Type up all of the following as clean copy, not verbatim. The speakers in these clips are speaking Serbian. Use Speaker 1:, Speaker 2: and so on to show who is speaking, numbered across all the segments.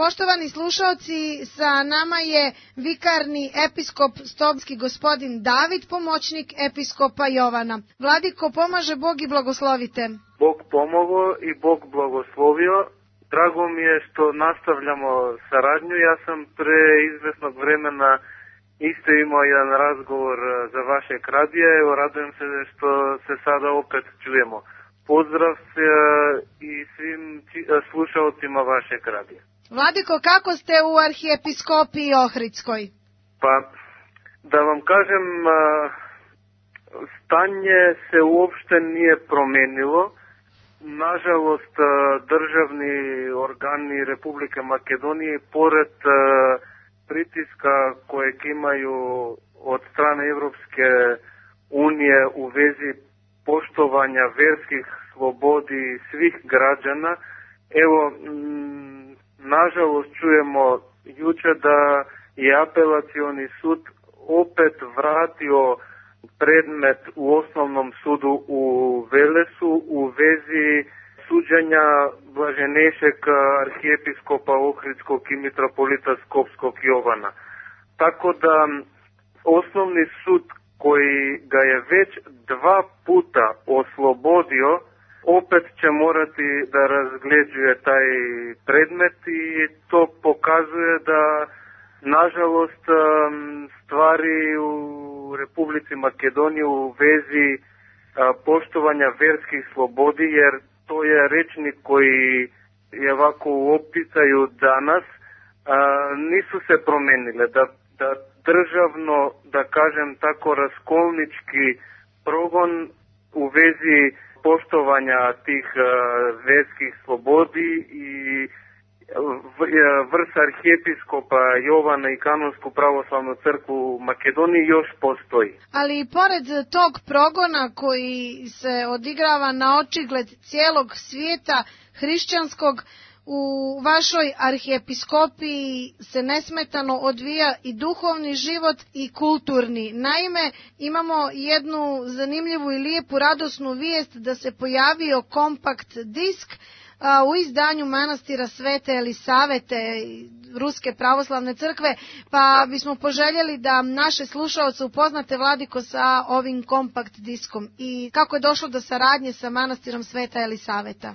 Speaker 1: Poštovani slušalci, sa nama je vikarni episkop Stobski gospodin David, pomoćnik episkopa Jovana. Vladiko, pomaže Bog i blagoslovite.
Speaker 2: Bog pomogao i Bog blagoslovio. Drago mi je što nastavljamo saradnju. Ja sam pre izvesnog vremena isto imao jedan razgovor za vašeg radija. Evo, radujem se što se sada opet čujemo. Pozdrav i svim slušalcima vašeg radija.
Speaker 1: Vladiko, kako ste u arhiepiskopiji Ohridskoj?
Speaker 2: Pa, da vam kažem, stanje se uopšte nije promenilo. Nažalost, državni organi Republike Makedonije, pored pritiska kojeg imaju od strane Evropske unije u vezi poštovanja verskih slobodi svih građana, evo, nažalost čujemo juče da je apelacioni sud opet vratio predmet u osnovnom sudu u Velesu u vezi suđenja blaženejšeg arhijepiskopa Ohridskog i mitropolita Skopskog Jovana. Tako da osnovni sud koji ga je već 2 puta oslobodio, opet će morati da razgleđuje taj predmet i to pokazuje da nažalost stvari u Republici Makedoniji u vezi poštovanja verskih slobodi, jer to je rečnik koji je ovako u opticaju danas, nisu se promenile. Da državno, da kažem tako, raskolnički progon u vezi poštovanja tih verskih slobodi i vrh arhijepiskopa Jovana i Kanonsku pravoslavnu crkvu u Makedoniji još postoji.
Speaker 1: Ali pored tog progona koji se odigrava na očigled cijelog svijeta hrišćanskog, u vašoj arhijepiskopiji se nesmetano odvija i duhovni život i kulturni. Naime, imamo jednu zanimljivu i lijepu radosnu vijest da se pojavio kompakt disk u izdanju manastira Svete Elisavete Ruske pravoslavne crkve, pa bismo poželjeli da naše slušaoce upoznate, Vladiko, sa ovim kompakt diskom i kako je došlo do saradnje sa manastirom Sveta Elisaveta.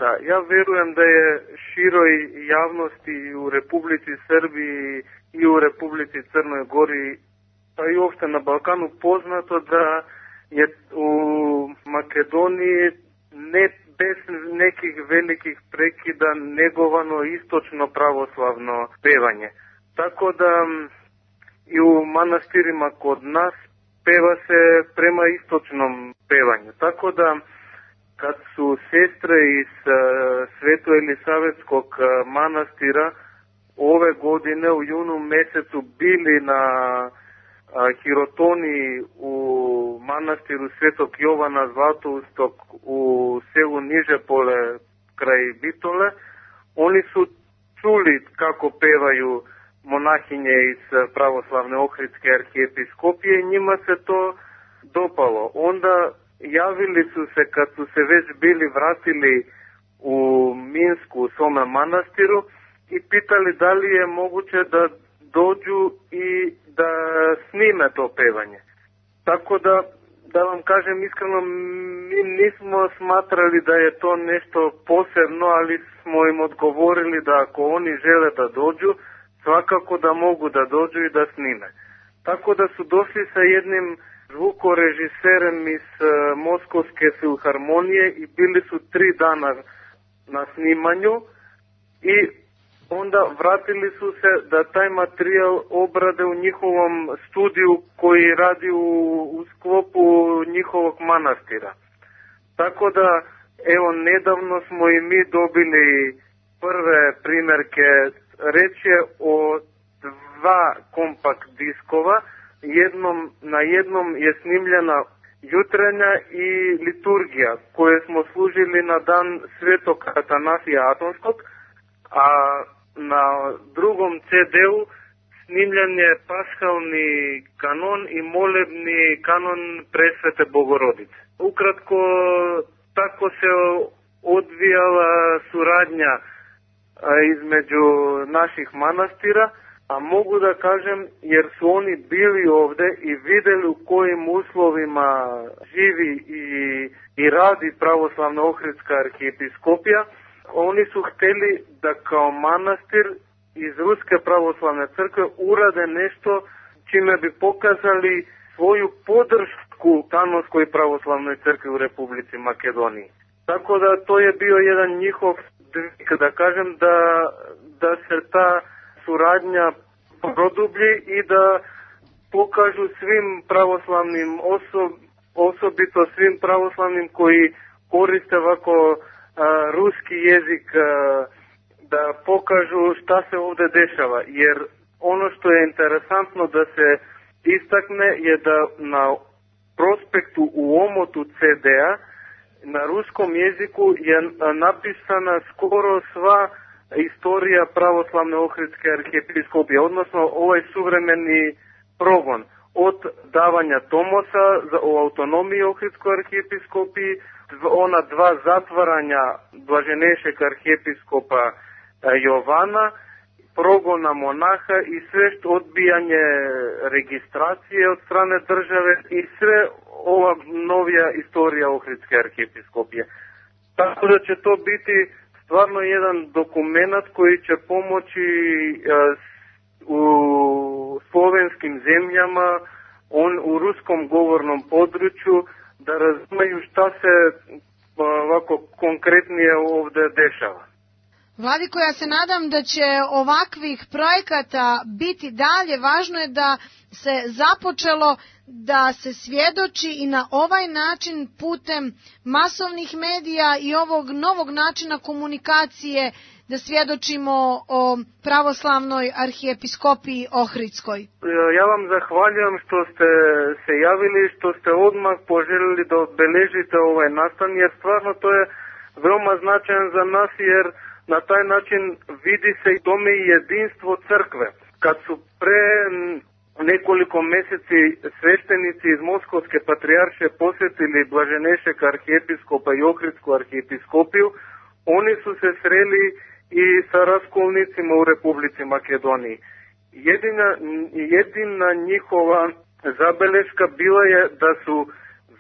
Speaker 2: Da, ja verujem da je široj javnosti u Republici Srbiji i u Republici Crnoj Gori, pa i uopšte na Balkanu poznato da je u Makedoniji ne bez nekih velikih prekida negovano istočno pravoslavno pevanje. Tako da i u manastirima kod nas peva se prema istočnom pevanju. Tako da kad su sestre iz Sveto Elisavetskog manastira ove godine u junu mesecu bili na hirotoniji u manastiru Svetog Jovana Zlatoustog u selu Nižepole kraj Bitole, oni su čuli kako pevaju monahinje iz pravoslavne Ohridske arhijepiskopije i njima se to dopalo. Onda javili su se, kad su se već bili vratili u Minsku u svome manastiru, i pitali da li je moguće da dođu i da snime to pevanje. Tako da vam kažem iskreno, mi nismo smatrali da je to nešto posebno, ali smo im odgovorili da ako oni žele da dođu, svakako da mogu da dođu i da snime. Tako da su došli sa jednim zvukorežiserem iz Moskovske filharmonije i bili su 3 dana na snimanju i onda vratili su se da taj materijal obrade u njihovom studiju koji radi u sklopu njihovog manastira. Tako da, evo, nedavno smo i mi dobili prve primjerke. Reč je o 2 kompakt diskova. Na jednom je snimljena jutrenja i liturgija koje smo služili na dan Svetog Atanasija Atonskog, a na drugom CD-u snimljen je paskalni kanon i molebni kanon Presvete Bogorodice. Ukratko, tako se odvijala suradnja između naših manastira, a mogu da kažem jer su oni bili ovde i videli u kojim uslovima živi i radi pravoslavna Ohridska arhijepiskopija. Oni su hteli da kao manastir iz Ruske pravoslavne crkve urade nešto čime bi pokazali svoju podršku Kanonskoj pravoslavnoj crkvi u Republici Makedoniji. Tako da to je bio jedan njihov dvig, da kažem, da se ta suradnja produblji i da pokažu svim pravoslavnim osobito svim pravoslavnim koji koriste ovako ruski jezik, da pokažu šta se ovdje dešava. Jer ono što je interesantno da se istakne je da na prospektu u omotu CD-a na ruskom jeziku je napisana skoro sva istorija pravoslavne Ohridske arhijepiskopije, odnosno ovaj suvremeni progon od davanja Tomosa o autonomiji Ohridskoj arhijepiskopiji, ona dva zatvaranja blaženešeg arhijepiskopa Jovana, progona monaha i sve odbijanje registracije od strane države i sve ova novija istorija Ohridske arhijepiskopije. Tako da će to biti stvarno jedan dokument koji će pomoći u slovenskim zemljama, u ruskom govornom području, da razumeju šta se ovako konkretnije ovdje dešava.
Speaker 1: Vladiko, ja se nadam da će ovakvih projekata biti dalje. Važno je da se započelo da se svjedoči i na ovaj način putem masovnih medija i ovog novog načina komunikacije da svjedočimo o pravoslavnoj arhijepiskopiji Ohridskoj.
Speaker 2: Ja vam zahvaljujem što ste se javili, što ste odmah poželjeli da obeležite ovaj nastan, jer stvarno to je veoma značajan za nas, jer na taj način vidi se i tome i jedinstvo crkve. Kad su pre nekoliko mjeseci sveštenici iz Moskovske patrijarše posjetili blaženešeg arhijepiskopa i Ohridsku arhijepiskopiju, oni su se sreli i sa raskolnicima u Republici Makedoniji. Jedina njihova zabeleška bila je da su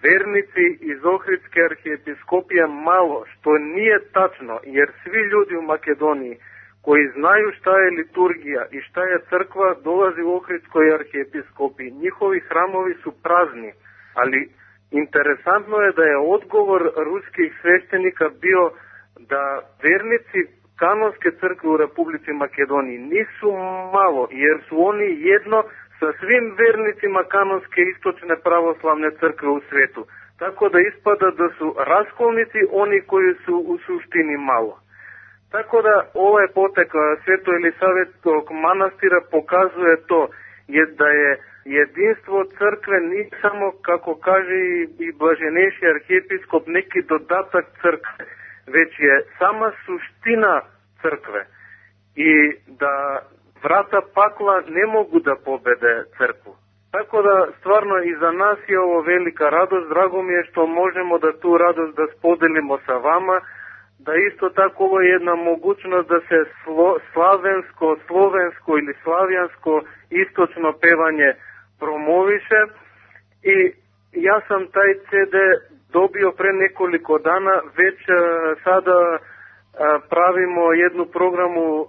Speaker 2: vernici iz Ohridske arhijepiskopije malo, što nije tačno, jer svi ljudi u Makedoniji koji znaju šta je liturgija i šta je crkva dolazi u Ohridskoj arhijepiskopiji. Njihovi hramovi su prazni, ali interesantno je da je odgovor ruskih sveštenika bio da vernici Kanonske crkve u Republici Makedoniji nisu malo, jer su oni jedno sa svim vernicima Kanonske istočne pravoslavne crkve u svijetu. Tako da ispada da su raskolnici oni koji su u suštini malo. Tako da ovaj potek Sveto Elisavetskog manastira pokazuje to, da je jedinstvo crkve nije samo, kako kaže i blaženeši arhijepiskop, neki dodatak crkve, već je sama suština crkve. I da vrata pakla ne mogu da pobede crkvu. Tako da stvarno i za nas je ovo velika radost. Drago mi je što možemo da tu radost da spodelimo sa vama, da isto tako ovo je jedna mogućnost da se slavensko, slovensko ili slavijansko istočno pevanje promoviše. I ja sam taj CD dobio pre nekoliko dana, već sada pravimo jednu programu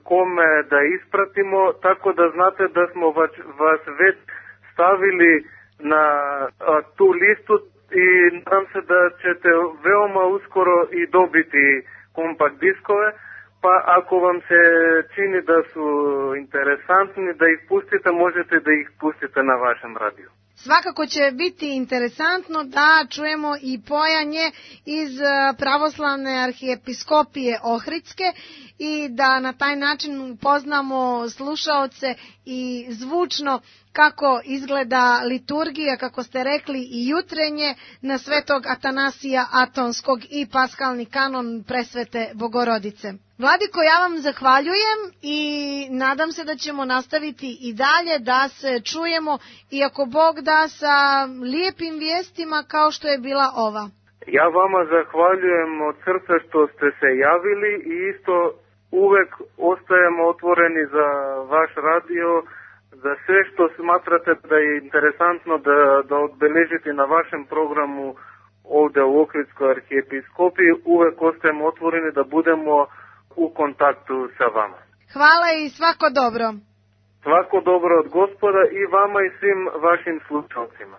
Speaker 2: kome da ispratimo, tako da znate da smo vas već stavili na tu listu i nadam se da ćete veoma uskoro i dobiti kompakt diskove, pa ako vam se čini da su interesantni da ih pustite, možete da ih pustite na vašem radiju.
Speaker 1: Svakako će biti interesantno da čujemo i pojanje iz pravoslavne arhijepiskopije Ohridske i da na taj način upoznamo slušaoce i zvučno kako izgleda liturgija, kako ste rekli, i jutrenje na Svetog Atanasija Atonskog i paskalni kanon Presvete Bogorodice. Vladiko, ja vam zahvaljujem i nadam se da ćemo nastaviti i dalje da se čujemo, iako Bog da, sa lijepim vijestima kao što je bila ova.
Speaker 2: Ja vama zahvaljujem od srca što ste se javili i isto uvek ostajemo otvoreni za vaš radio, za sve što smatrate da je interesantno da odbeležite na vašem programu ovde u Ohridskoj arhijepiskopiji. Uvek ostajemo otvoreni da budemo u kontaktu sa vama.
Speaker 1: Hvala i svako dobro.
Speaker 2: Svako dobro od Gospoda i vama i svim vašim slušalcima.